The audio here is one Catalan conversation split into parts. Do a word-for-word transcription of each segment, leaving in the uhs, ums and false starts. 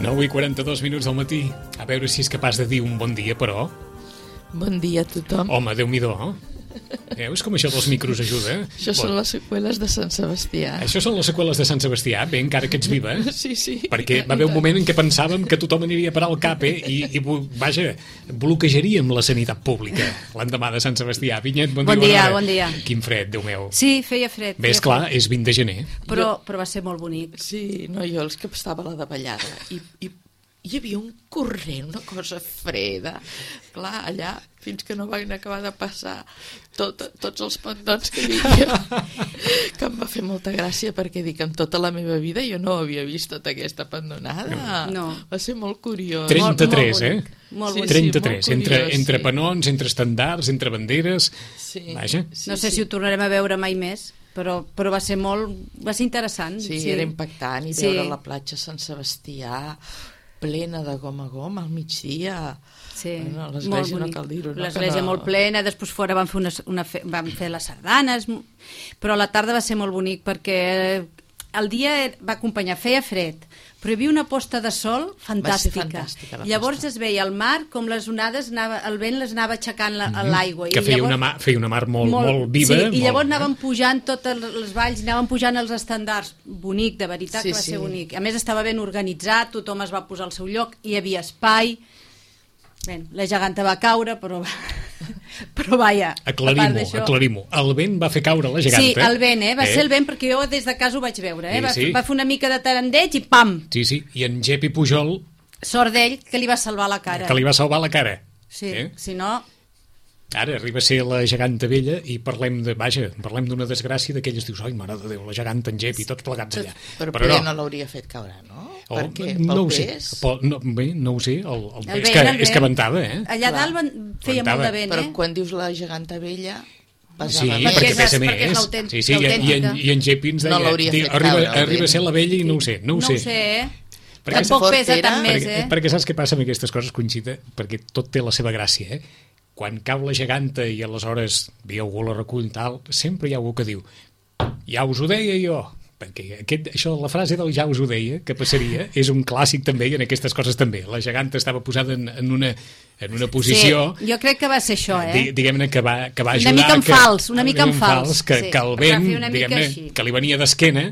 nou i quaranta-dos minuts del matí. A veure si és capaç de dir un bon dia, però... Bon dia a tothom. Home, Déu-n'hi-do, eh? Veus com això dels micros ajuda? Això són les seqüeles de Sant Sebastià. Això són les seqüeles de Sant Sebastià, bé, encara que ets viva. Sí, sí. Perquè va haver un moment en què pensàvem que tothom aniria a parar al cap, eh? I, i vaja, bloquejaríem la sanitat pública l'endemà de Sant Sebastià. Vinyet, bon, bon dia. dia, bon dia. Quin fred, Déu meu. Sí, feia fred. Bé, esclar, és vint de gener. Però, però va ser molt bonic. Sí, no, jo els que estava a la davallada i, i hi havia un corrent, una cosa freda. Clar, allà, fins que no van acabar de passar tot, tots els pendons que hi havia, que em va fer molta gràcia, perquè dic, en tota la meva vida jo no havia vist tota aquesta pendonada. No. Va ser molt curiós. trenta-tres, molt, molt eh? Molt sí, bonic. trenta-tres, sí, molt entre, curiós, entre sí. penons, entre estandards, entre banderes... Sí. Vaja. Sí, No sé sí. si ho tornarem a veure mai més, però, però va ser molt... va ser interessant. Sí, sí, era impactant, i Sí. veure la platja Sant Sebastià plena de gom a gom al migdia. Sí, Bueno, molt l'església no bonic. cal dir-ho, no? L'església Que no- molt plena, després fora van fer, una, una fe, van fer les sardanes, però a la tarda va ser molt bonic perquè el dia va acompanyar, feia fred, però hi havia una posta de sol fantàstica. fantàstica, la Llavors posta. es veia el mar, com les onades, anava, el vent les anava aixecant la, a l'aigua. Que I feia, llavors- una, mar, feia una mar molt, molt, molt viva. Sí, i molt, llavors eh? anaven pujant totes les valls, anaven pujant els estandards. Bonic, de veritat, Sí, que va sí. ser bonic. A més, estava ben organitzat, tothom es va posar al seu lloc, hi havia espai. Bé, la geganta va caure, però... però vaja, a part Aclarim-ho, d'això- aclarim-ho. El vent va fer caure la geganta. Sí, el vent, eh? Va ser el vent, perquè jo des de casa ho vaig veure, eh? Sí, Va, sí. va fer una mica de tarandeig i pam! Sí, sí, i en Gepi Pujol, Sort d'ell, que li va salvar la cara. que li va salvar la cara. Sí, Eh? si no... Ara arriba a ser la geganta vella i parlem de, vaja, parlem d'una desgràcia d'aquelles, dius, ai, mare de Déu, la geganta, en Gepi, tots plegats allà. Però, però no, no l'hauria fet caure, no? Oh, Per què? no Pel ho sé, pes? Pel- no, bé, no ho sé, el, el, El és, vent, que, el és que vent. ventava, eh? Allà Clar. dalt van, feia Ventava. molt de vent, Però eh? quan dius la geganta vella, pesava Sí, més. perquè és- pesa perquè és més. l'autènt- Sí, sí, i, i, en, l'autèntica. i en Gepi ens deia, No l'hauria diu, fet arriba, caure, el arriba a vent. ser la vella i no ho sé, no ho no sé. ho sé, eh? Perquè Tampoc fort pesa era. tant més, perquè, eh? perquè saps què passa amb aquestes coses, Conxita? Perquè tot té la seva gràcia, eh? Quan cau la geganta i aleshores ve algú la recull tal, sempre hi ha algú que diu ja us ho deia jo, perquè aquest, això, la frase del ja us ho deia, que passaria, és un clàssic també, i en aquestes coses també. La geganta estava posada en, en, una, en una posició... Sí, jo crec que va ser això, eh? Di- diguem-ne que va, que va Una ajudar... mica en que, fals, una mica en fals, que, sí. que el Va vent, fer una mica diguem-ne, així. que li venia d'esquena,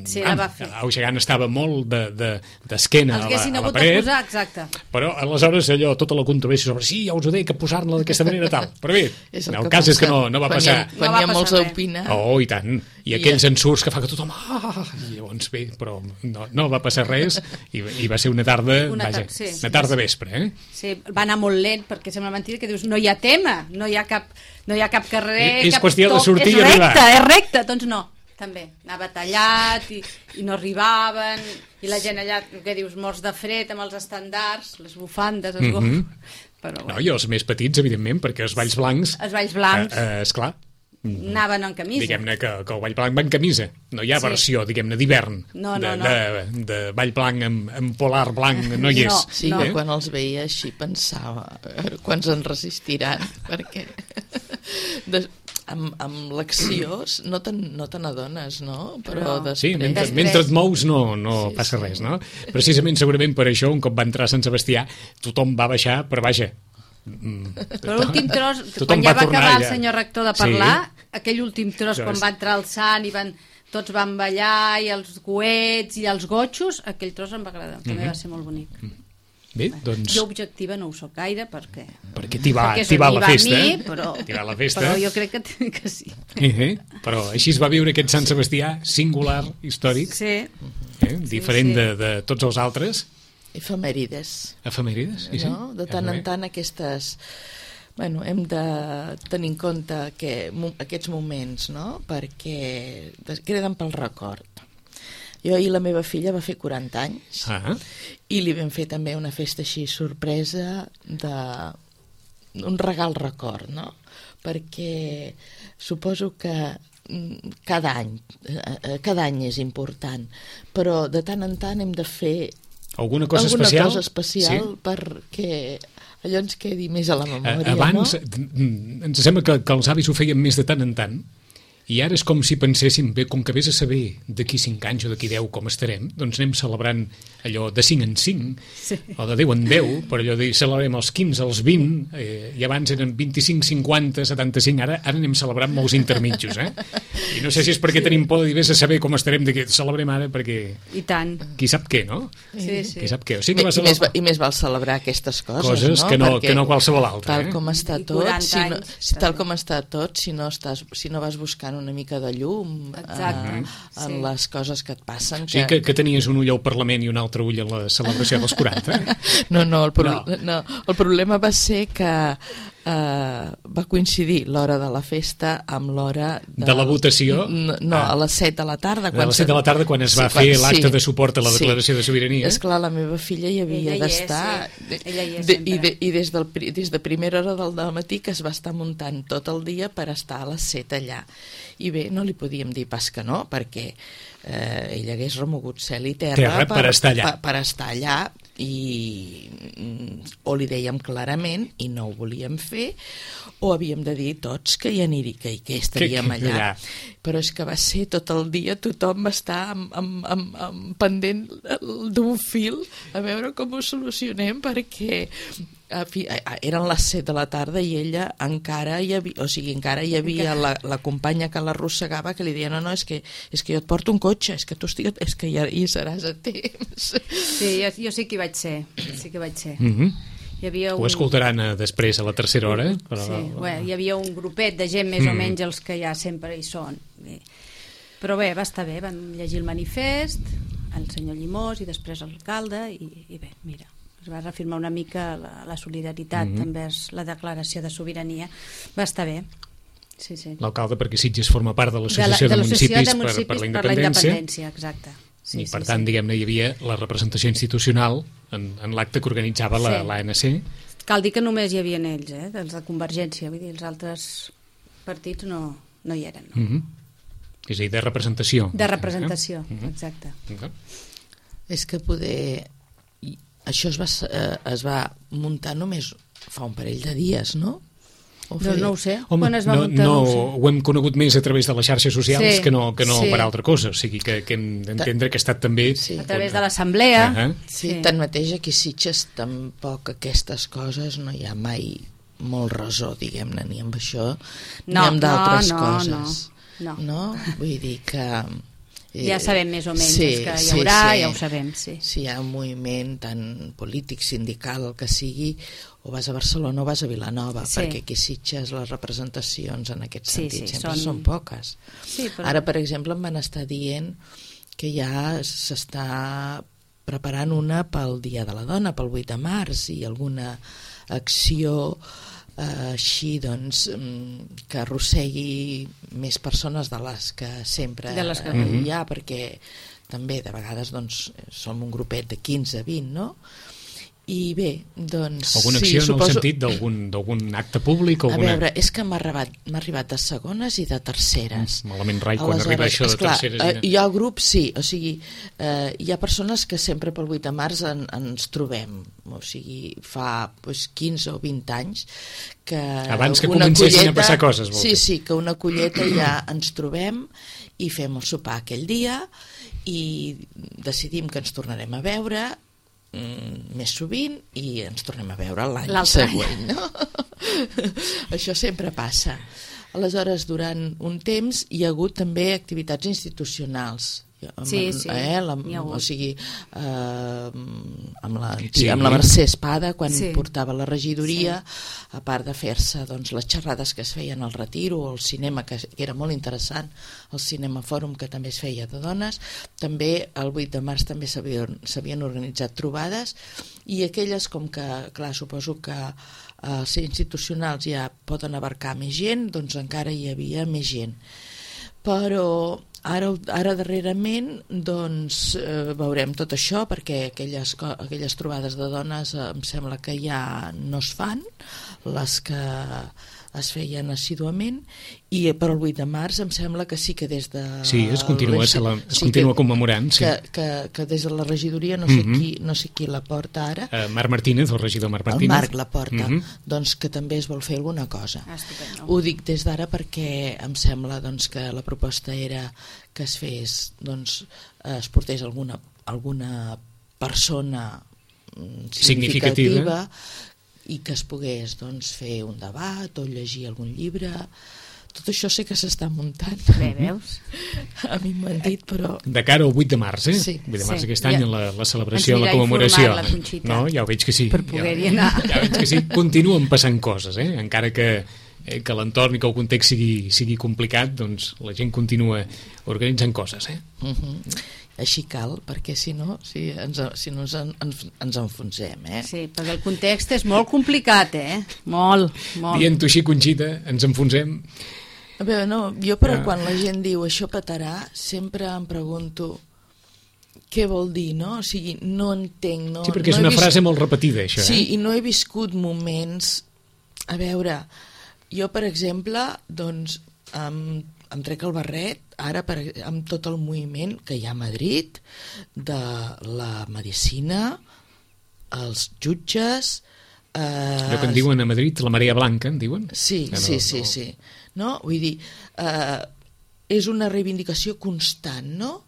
Sí, la va fer. el gegant estava molt de, de, d'esquena Els a la, haguessin a la hagut de paret, posar, exacte. però aleshores allò, tota la controvèrsia sobre sí, ja us ho deia, que posar-la d'aquesta manera tal. Però bé, És el, el el que cas és que passa no, no va quan passar. Hi ha, quan No va hi ha molts passar a res. opinar. Oh, i tant. I I aquells ja. ensurts que fa que tothom... Ah, i llavors bé, però no, no va passar res i, i va ser una tarda, Una vaja, tar- sí. una tarda vespre, eh? Sí, va anar molt lent, perquè sembla mentida que dius, no hi ha tema, no hi ha cap, no hi ha cap carrer... És cap qüestió de toc, sortir i és arribar. recte, és recte, doncs no, també. Anava tallat i, i no arribaven, i la gent allà, què dius, morts de fred amb els estandards, les bufandes, els Mhm. gos... Però, No, i els més petits, evidentment, perquè els balls blancs... Els balls blancs. Eh, eh, esclar, anaven en camisa. diguem-ne que, que el ball blanc va en camisa. No hi ha Sí. versió, diguem-ne, d'hivern. No, de, no, no. De, de ball blanc amb, amb polar blanc no hi és. No, Sí, no. que quan els veia així pensava, a veure, quants en resistiran, perquè de, amb, amb l'acció no te no te n'adones, no? Però No. després... Sí, mentre, Després. mentre et mous no, no Sí, passa sí. res, no? Precisament, segurament per això, un cop va entrar a Sant Sebastià, tothom va baixar, però vaja... mm, Però l'últim tros, tothom quan ja va tornar acabar el allà. senyor rector de Sí. parlar, aquell últim tros, Això quan és. va entrar el sant i van, tots van ballar, i els coets i els gotxos, aquell tros em va agradar, també va ser molt bonic. Bé, doncs... Jo objectiva no ho soc gaire, perquè... Perquè t'hi va, perquè t'hi va m'hi la festa. a mi, però, T'hi va la festa. però jo crec que, que sí. Eh, eh? Però així es va viure aquest Sant Sebastià singular, històric, Sí, eh? diferent sí. De, de tots els altres. Efemèrides, Efemèrides, sí, sí. no? De tant en tant aquestes... Bueno, hem de tenir en compte que, mo- aquests moments, no? Perquè des- queden pel record. Jo ahir la meva filla va fer quaranta anys Ah, i li vam fer també una festa així sorpresa de un regal record, no? Perquè suposo que mm, cada any eh, cada any és important, però de tant en tant hem de fer alguna cosa alguna especial? cosa especial Sí. perquè allò ens quedi més a la Eh, memòria, Abans, no? mm, ens sembla que, que els avis ho feien més de tant en tant, I ara és com si penséssim, bé, com que vés a saber d'aquí cinc anys o d'aquí deu com estarem, doncs anem celebrant allò de cinc en cinc, sí. o de deu en deu, per allò de celebrem els quinze, els vint, eh, i abans eren vint-i-cinc, cinquanta, setanta-cinc, ara, ara anem celebrant molts intermitjos, eh? I no sé si és perquè sí. tenim por de dir, vés a saber com estarem, de què celebrem ara, perquè... I tant. Qui sap què, no? Sí, sí. Qui sap què. O sigui que I, celebrar... més, I més val celebrar aquestes coses, coses no? que no, Perquè que no qualsevol altra. Tal eh? com està I tot, quaranta si no, anys, si, tal com està tot, si no, estàs, si no vas buscant una mica de llum Exacte, eh, en sí. les coses que et passen... O sigui que, que tenies un ull al Parlament i un altre ull a la celebració dels quaranta. No, no, el, pro... no. no, el problema va ser que eh, va coincidir l'hora de la festa amb l'hora... De... de la votació? No, no ah. a les set de la tarda. A les set de la tarda, quan es va sí, fer quan... l'acte sí, de suport a la declaració sí. de sobirania. Esclar, la meva filla hi havia d'estar... Sí. Ella hi és de, i, de, I des, del, des de primera hora del matí que es va estar muntant tot el dia per estar a les set allà. I bé, no li podíem dir pas que no, perquè eh, ell hagués remogut cel i terra, terra per, per estar allà. Per, per estar allà i o li dèiem clarament i no ho volíem fer, o havíem de dir tots que hi aniria, que, que estaríem que, que, allà. allà. Però és que va ser tot el dia, tothom va estar amb, amb, amb, amb pendent d'un fil a veure com ho solucionem, perquè a fi, a, eren les set de la tarda i ella encara hi havia, o sigui, encara hi havia la, la companya que l'arrossegava, que li deia, no, no, és que, és que jo et porto un cotxe, és que tu estigues, és que ja hi seràs a temps. Sí, jo, jo sí que hi vaig ser, sí que vaig ser. Mm-hmm. Hi havia un... Ho escoltaran a, després a la tercera hora. Però... Sí, bueno, hi havia un grupet de gent més mm. o menys els que ja sempre hi són. Però bé, va estar bé, van llegir el manifest, el senyor Llimós i després l'alcalde, i, i bé, mira, es va reafirmar una mica la, la solidaritat mm-hmm. envers la declaració de sobirania. Va estar bé. Sí, sí. L'alcalde, perquè Sitges forma part de l'Associació de, de, de Municipis, de Municipis per, per la Independència. Per la Independència, exacte. Sí, I per sí, tant, sí. diguem-ne, hi havia la representació institucional en, en l'acte que organitzava la, sí. l'A N C. Cal dir que només hi havia ells, eh, dels de Convergència, vull dir, els altres partits no, no hi eren. No? Mm-hmm. És a dir, de representació. De representació, eh? mm-hmm. exacte. Okay. És que poder... Això es va, eh, es va muntar només fa un parell de dies, no? O no, no ho sé. Home, Quan es va no, muntar, no, no ho sé. Ho hem conegut més a través de les xarxes socials sí, que no, que no sí. per altra cosa. O sigui que, que hem d'entendre que ha estat també... Sí. A través de l'assemblea. Uh -huh. Sí, sí. Tanmateix aquí a Sitges tampoc aquestes coses no hi ha mai molt resó, diguem-ne, ni amb això no, ni amb d'altres no, no, coses. No, no. no? Vull dir que... Eh, ja sabem més o menys sí, que hi sí, haurà, sí. ja ho sabem. Sí. Si hi ha un moviment tant polític, sindical, el que sigui, o vas a Barcelona o vas a Vilanova, sí. perquè aquí a Sitges les representacions en aquest sí, sentit sí, sempre són, són... són poques. Sí, però... Ara, per exemple, em van estar dient que ja s'està preparant una pel Dia de la Dona, pel vuit de març, i alguna acció eh, així, doncs, que arrossegui més persones de les que sempre de les que... hi ha, perquè també de vegades doncs, som un grupet de quinze vint, no? I bé, doncs... Alguna acció sí, suposo... en el sentit d'algun acte públic? Alguna... A veure, és que m'ha arribat, m'ha arribat de segones i de terceres. Mm, malament rai quan aleshores, arriba això de esclar, terceres. Eh, hi ha grups, sí, o sigui, eh, hi ha persones que sempre pel vuit de març en, ens trobem, o sigui, fa pues, quinze o vint anys que... Abans que comencessin colleta, a passar coses. Vol sí, dir. sí, que una colleta ja ens trobem i fem el sopar aquell dia i decidim que ens tornarem a veure més sovint i ens tornem a veure l'any següent, no? Això sempre passa. Aleshores, durant un temps hi ha hagut també activitats institucionals. Amb, sí, sí, eh, la, o sigui eh, amb, la, sí. amb la Mercè Espada quan sí. portava la regidoria, sí. a part de fer-se doncs, les xerrades que es feien al Retiro o al cinema, que, que era molt interessant, el Cinema Fòrum, que també es feia de dones, també el vuit de març també s'havien organitzat trobades, i aquelles com que, clar, suposo que els eh, institucionals ja poden abarcar més gent, doncs encara hi havia més gent. Però Ara, ara darrerament doncs, eh, veurem tot això, perquè aquelles, aquelles trobades de dones eh, em sembla que ja no es fan, les que es feien assíduament, i per el vuit de març em sembla que sí que des de... Sí, es continua, se la, es sí, continua que, commemorant. Sí. Que, que, que des de la regidoria, no sé, mm-hmm. qui, no sé qui la porta ara. Uh, Marc Martínez, el regidor Marc Martínez. El Marc la porta, mm-hmm. doncs que també es vol fer alguna cosa. Ah, estupendo. Ho dic des d'ara perquè em sembla doncs, que la proposta era que es fes, doncs, es portés alguna, alguna persona significativa, significativa i que es pogués doncs, fer un debat o llegir algun llibre. Tot això sé que s'està muntant. Bé, veus? A mi m'ho han dit, però... De cara al vuit de març, eh? Sí. vuit de març sí. aquest any, ja. la, la celebració, la commemoració. La no, ja ho veig que sí. Per poder-hi ja, anar. Ja veig que sí. Continuen passant coses, eh? Encara que, eh, que l'entorn i que el context sigui, sigui complicat, doncs la gent continua organitzant coses, eh? Uh-huh. Així cal, perquè si no, si, ens, si no ens, ens, ens enfonsem, eh? Sí, perquè el context és molt complicat, eh? Molt, molt. Dient-ho així, Conxita, ens enfonsem. A veure, no, jo però ah. quan la gent diu això petarà, sempre em pregunto què vol dir, no? O sigui, no entenc... No, sí, perquè no és una vist... frase molt repetida, això. Sí, eh? i no he viscut moments... A veure, jo, per exemple, doncs, em, em trec el barret, ara per, amb tot el moviment que hi ha a Madrid, de la medicina, els jutges... Eh, Allò que en diuen a Madrid, la marea blanca, en diuen? Sí, no, sí, sí, no... sí. No? Vull dir, eh, és una reivindicació constant, no?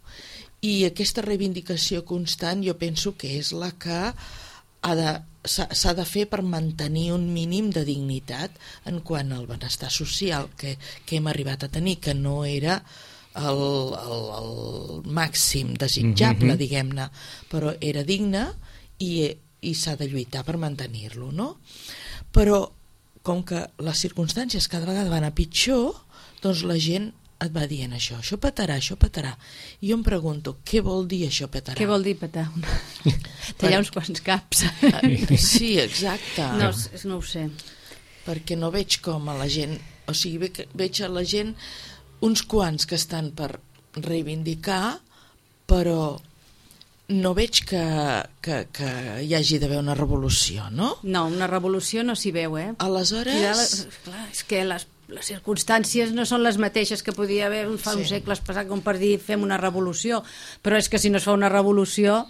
I aquesta reivindicació constant jo penso que és la que ha de, s'ha de fer per mantenir un mínim de dignitat en quant al benestar social que, que hem arribat a tenir, que no era el, el, el màxim desitjable, mm-hmm. diguem-ne, però era digne i, i s'ha de lluitar per mantenir-lo, no? Però com que les circumstàncies cada vegada van a pitjor, doncs la gent et va dient això, això petarà, això petarà. I jo em pregunto, què vol dir això petarà? Què vol dir petar? Tallar uns quants caps. Sí, exacte. No, no ho sé. Perquè no veig com a la gent, o sigui, veig a la gent uns quants que estan per reivindicar, però no veig que, que, que hi hagi d'haver una revolució, no? No, una revolució no s'hi veu, eh? Aleshores... Les, clar, és que les, les circumstàncies no són les mateixes que podia haver fa sí. uns segles passat com per dir fem una revolució, però és que si no es fa una revolució,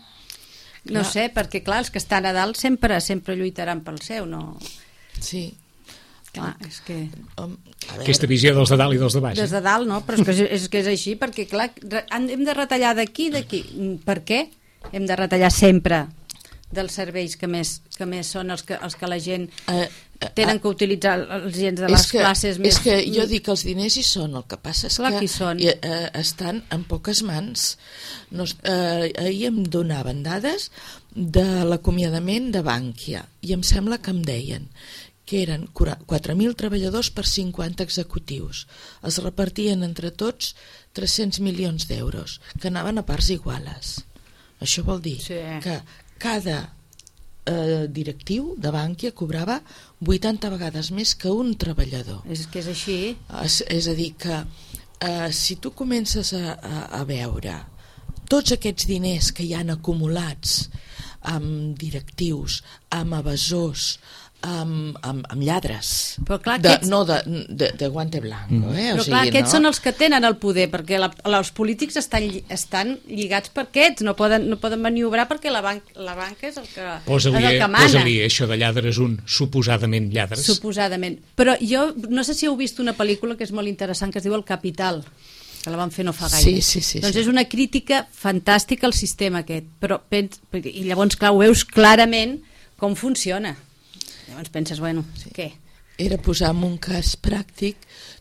no clar. sé, perquè clar, els que estan a dalt sempre sempre lluitaran pel seu, no? Sí. Clar, és que... Um, Aquesta visió dels de dalt i dels de baix. Des de dalt, no? Però és que és, que és així, perquè clar, hem de retallar d'aquí, d'aquí. Per què? Hem de retallar sempre dels serveis que més, que més són els que, els que la gent uh, uh, tenen que utilitzar, els gens de les que, classes més... És que jo dic que els diners hi són, el que passa és clar que, que són. I, uh, estan en poques mans. No, uh, ahir em donaven dades de l'acomiadament de Bankia i em sembla que em deien que eren quatre mil treballadors per cinquanta executius. Es repartien entre tots tres-cents milions d'euros, que anaven a parts iguales. Això vol dir sí. que cada eh, directiu de Bankia cobrava vuitanta vegades més que un treballador. És que és així. És, és a dir, que eh, si tu comences a, a, a veure tots aquests diners que hi han acumulats amb directius, amb evasors, amb, amb, amb lladres, però clar, de, aquests... no de, de, de guante blanco, eh? Però o sigui, clar, aquests no? són els que tenen el poder, perquè la, els polítics estan, estan lligats per aquests, no poden, no poden maniobrar perquè la, banc, la banca és el que, posa-li, és el que mana. Posa-li això de lladres un suposadament lladres. Suposadament. Però jo no sé si heu vist una pel·lícula que és molt interessant, que es diu El Capital, que la van fer no fa gaire. Sí, sí, sí, doncs sí. és una crítica fantàstica al sistema aquest, però pens, i llavors clar, ho veus clarament com funciona. Llavors penses, bueno, sí. què? Era posar en un cas pràctic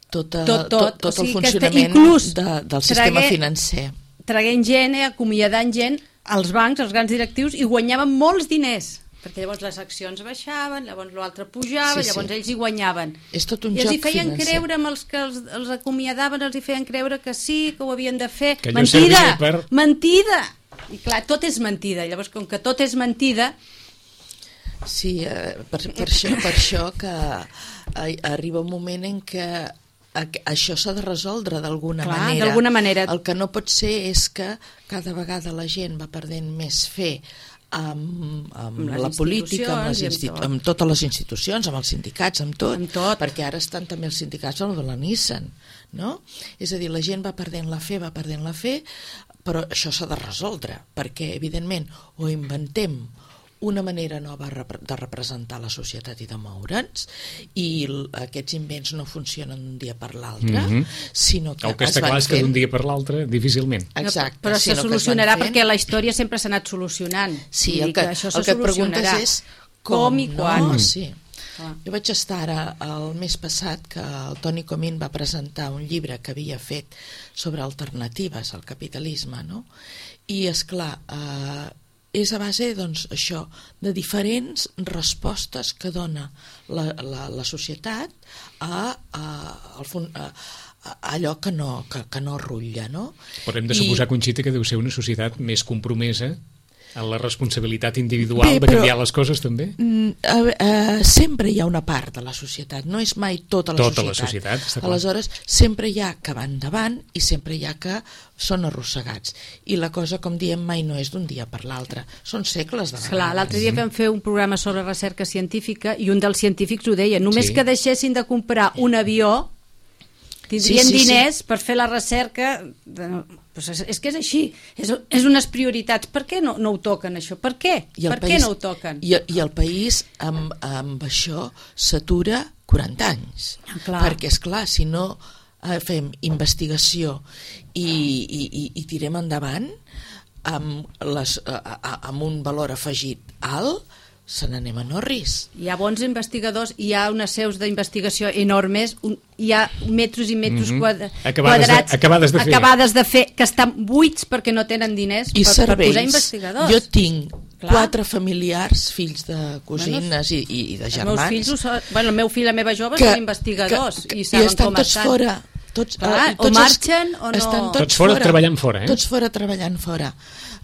tot, a, tot, tot, tot, tot o sigui, el funcionament de, del sistema tragué, financer. Traguent gent, eh, acomiadant gent als bancs, als grans directius, i guanyaven molts diners, perquè llavors les accions baixaven, llavors l'altre pujava, sí, llavors sí. ells hi guanyaven. És tot un I joc els hi feien financer. creure, amb els que els, els acomiadaven, els hi feien creure que sí, que ho havien de fer. Que mentida! Per... Mentida! I clar, tot és mentida. Llavors, com que tot és mentida... Sí, eh, per, per, això, per això que eh, arriba un moment en què això s'ha de resoldre d'alguna manera. d'alguna manera. El que no pot ser és que cada vegada la gent va perdent més fe amb, amb, Amb les la política, amb, les institucions i institu amb tot. amb totes les institucions, amb els sindicats, amb tot, Amb tot. perquè ara estan també els sindicats amb el de la Nissan, no? És a dir, la gent va perdent la fe, va perdent la fe, però això s'ha de resoldre, perquè, evidentment, o inventem una manera nova de representar la societat i de moure'ns, i aquests invents no funcionen d'un dia per l'altre, mm-hmm. sinó que el que es està van clar és que fent... d'un dia per l'altre difícilment. Exacte, però se sinó que es solucionarà van fent... perquè la història sempre s'ha anat solucionant. Sí, Vull el dir que, això el que et preguntes solucionarà. és com, com i quan. No? Sí. Ah. Jo vaig estar ara el mes passat que el Toni Comín va presentar un llibre que havia fet sobre alternatives al capitalisme, no? I és clar, eh, és a base, doncs, això, de diferents respostes que dona la, la, la societat a, a, a, a allò que no, que, que no rutlla, no? Però hem de I... suposar, Conxita, que deu ser una societat més compromesa en la responsabilitat individual Bé, de però, canviar les coses, també? Mm, uh, uh, sempre hi ha una part de la societat, no és mai tota la tota societat. la societat, està clar. Aleshores, sempre hi ha que van davant i sempre hi ha que són arrossegats. I la cosa, com diem, mai no és d'un dia per l'altre. Són segles de vegades. Clar, l'altre dia vam fer un programa sobre recerca científica i un dels científics ho deia, només Sí. que deixessin de comprar un avió tindrien Sí, sí, diners sí. per fer la recerca de... pues és, és que és així, és, és unes prioritats. Per què no, no ho toquen això? Per què? I el per país, què no ho toquen? I, i el país amb, amb això s'atura quaranta anys. Ah, clar. Perquè, és clar, si no eh, fem investigació i, i, i, i tirem endavant amb, les, a, a, amb un valor afegit alt, se n'anem a Norris. Hi ha bons investigadors, hi ha unes seus d'investigació enormes, un, hi ha metres i metres Mhm. quadra, Acabades de- quadrats acabades de fer. acabades de fer, que estan buits perquè no tenen diners I per, per cervells. posar investigadors. Jo tinc Clar. quatre familiars, fills de cosines i, i, i de Els germans, meus fills, ho són, bueno, el meu fill i la meva jove que- són investigadors que, i i saben estan com tots estan. fora. Tots, Clar, eh, o tots marxen o no. estan Tots fora treballant fora, eh? Tots fora treballant fora.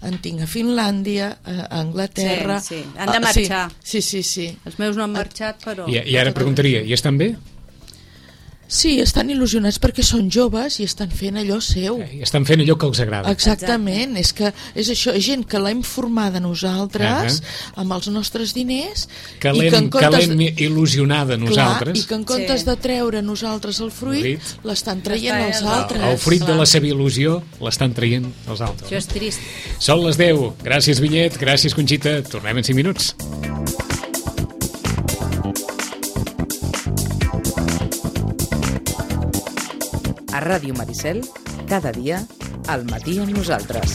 En tinc a Finlàndia, a Anglaterra... Sí, sí, han de Ah, marxar. Sí, sí, sí. sí. Els meus no han marxat, però... I, I ara preguntaria, i estan bé? Sí, estan il·lusionats perquè són joves i estan fent allò seu. I estan fent allò que els agrada. Exactament, és que és això, és gent que l'hem formada nosaltres Uh-huh. amb els nostres diners Que i l'hem en comptes que l'hem il·lusionada nosaltres. Clar, i que en comptes Sí. de treure nosaltres el fruit, Fruit. l'estan traient L'estan els traient els altres. El fruit de Clar. la seva il·lusió l'estan traient els altres. Això és trist. Són les deu. Gràcies, Vinyet. Gràcies, Conxita. Tornem en cinc minuts. A Ràdio Maricel, cada dia, al matí amb nosaltres.